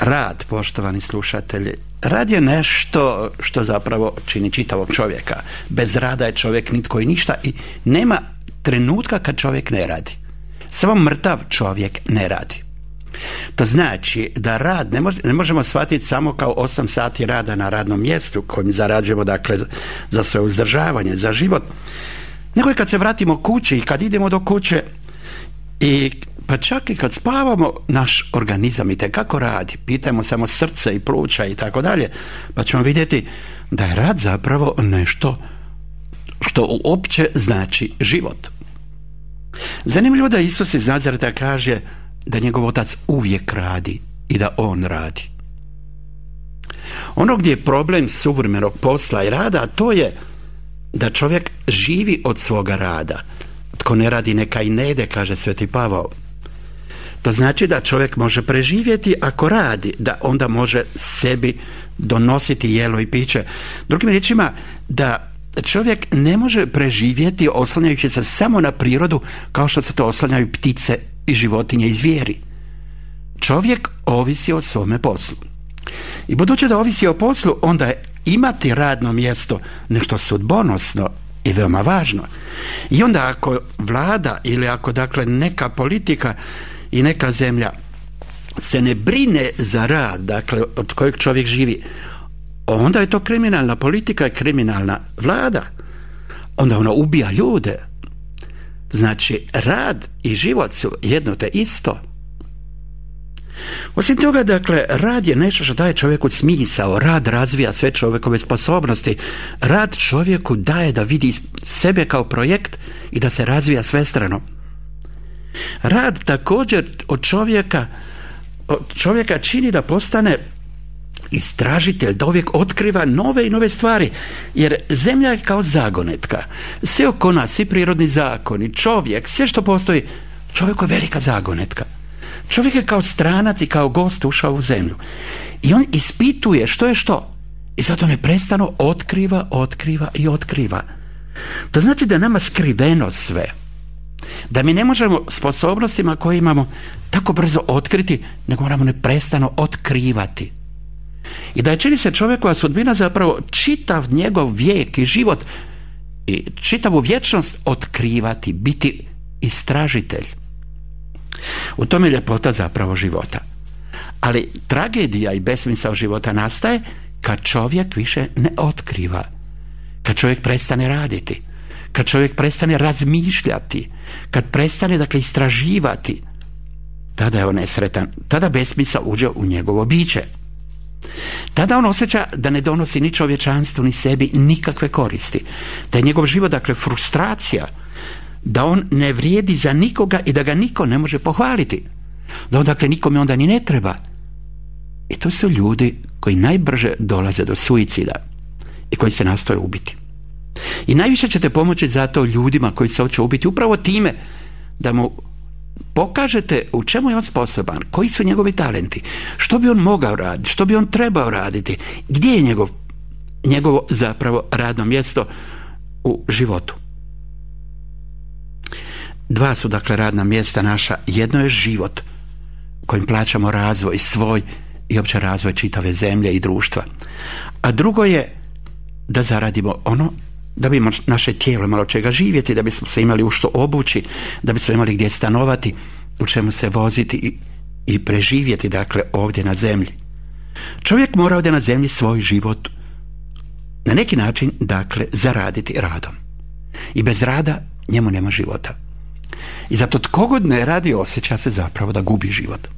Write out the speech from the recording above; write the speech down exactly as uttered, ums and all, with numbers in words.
Rad, poštovani slušatelji, rad je nešto što zapravo čini čitavog čovjeka. Bez rada je čovjek nitko i ništa i nema trenutka kad čovjek ne radi. Samo mrtav čovjek ne radi. To znači da rad ne, može, ne možemo shvatiti samo kao osam sati rada na radnom mjestu kojim zarađujemo, dakle, za svoje uzdržavanje, za život, nego i kad se vratimo kući i kad idemo do kuće i pa čak i kad spavamo, naš organizam itekako radi. Pitajmo samo srce i pluća i tako dalje, pa ćemo vidjeti da je rad zapravo nešto što uopće znači život. Zanimljivo da Isus iz Nazareta kaže da njegov otac uvijek radi i da on radi. Ono gdje je problem suvremenog posla i rada, to je da čovjek živi od svoga rada. Tko ne radi neka i ne ide, kaže Sveti Pavao. To znači da čovjek može preživjeti ako radi, da onda može sebi donositi jelo i piće. Drugim riječima, da čovjek ne može preživjeti oslanjajući se samo na prirodu kao što se to oslanjaju ptice i životinje i zvijeri. Čovjek ovisi o svome poslu. I budući da ovisi o poslu, onda je imati radno mjesto nešto sudbonosno i veoma važno. I onda ako vlada ili ako dakle neka politika i neka zemlja se ne brine za rad, dakle od kojeg čovjek živi, onda je to kriminalna politika i kriminalna vlada. Onda ona ubija ljude. Znači, rad i život su jedno te isto. Osim toga, dakle, rad je nešto što daje čovjeku smisao. Rad razvija sve čovjekove sposobnosti. Rad čovjeku daje da vidi sebe kao projekt i da se razvija svestrano. Rad također od čovjeka, od čovjeka čini da postane istražitelj, da uvijek otkriva nove i nove stvari, jer zemlja je kao zagonetka. Sve oko nas, svi prirodni zakoni, čovjek, sve što postoji, čovjek je velika zagonetka. Čovjek je kao stranac i kao gost ušao u zemlju. I on ispituje što je što. I zato neprestano otkriva, otkriva i otkriva. To znači da je nama skriveno sve. Da mi ne možemo sposobnostima koje imamo tako brzo otkriti, nego moramo neprestano otkrivati. I da je, čini se, čovjekova sudbina zapravo čitav njegov vijek i život i čitavu vječnost otkrivati, biti istražitelj. U tome je ljepota zapravo života. Ali tragedija i besmisao života nastaje kad čovjek više ne otkriva, kad čovjek prestane raditi, kad čovjek prestane razmišljati, kad prestane, dakle, istraživati. Tada je on nesretan, tada besmisao uđe u njegovo biće. Tada on osjeća da ne donosi ni čovječanstvu ni sebi nikakve koristi, da je njegov život, dakle, frustracija, da on ne vrijedi za nikoga i da ga niko ne može pohvaliti, da on, dakle, nikome onda ni ne treba. I to su ljudi koji najbrže dolaze do suicida i koji se nastoje ubiti. I najviše ćete pomoći zato ljudima koji se hoće ubiti upravo time da mu pokažete u čemu je on sposoban, koji su njegovi talenti, što bi on mogao raditi, što bi on trebao raditi, gdje je njegov, njegovo zapravo radno mjesto u životu. Dva su, dakle, radna mjesta naša. Jedno je život kojim plaćamo razvoj svoj i opće razvoj čitave zemlje i društva. A drugo je da zaradimo ono, da bi naše tijelo malo čega živjeti, da bismo se imali u što obući, da bismo imali gdje stanovati, u čemu se voziti i, i preživjeti, dakle, ovdje na zemlji. Čovjek mora ovdje na zemlji svoj život na neki način, dakle, zaraditi radom. I bez rada njemu nema života. I zato tko god ne radi osjeća se zapravo da gubi život.